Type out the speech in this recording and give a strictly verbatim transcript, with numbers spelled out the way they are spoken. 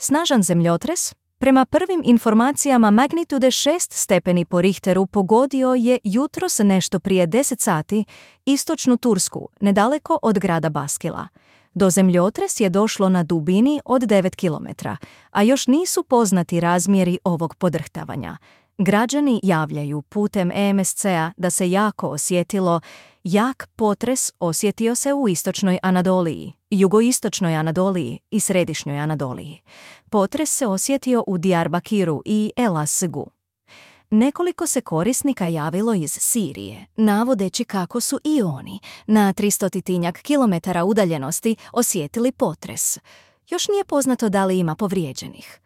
Snažan zemljotres, prema prvim informacijama magnitude šest stepeni po Richteru, pogodio je jutros nešto prije deset sati istočnu Tursku, nedaleko od grada Baskila. Do zemljotres je došlo na dubini od devet kilometara, a još nisu poznati razmjeri ovog podrhtavanja. Građani javljaju putem E M S C-a da se jako osjetilo. Jak potres osjetio se u istočnoj Anadoliji, jugoistočnoj Anadoliji i središnjoj Anadoliji. Potres se osjetio u Diyarbakiru i Elazığu. Nekoliko se korisnika javilo iz Sirije, navodeći kako su i oni na tristotinjak kilometara udaljenosti osjetili potres. Još nije poznato da li ima povrijeđenih.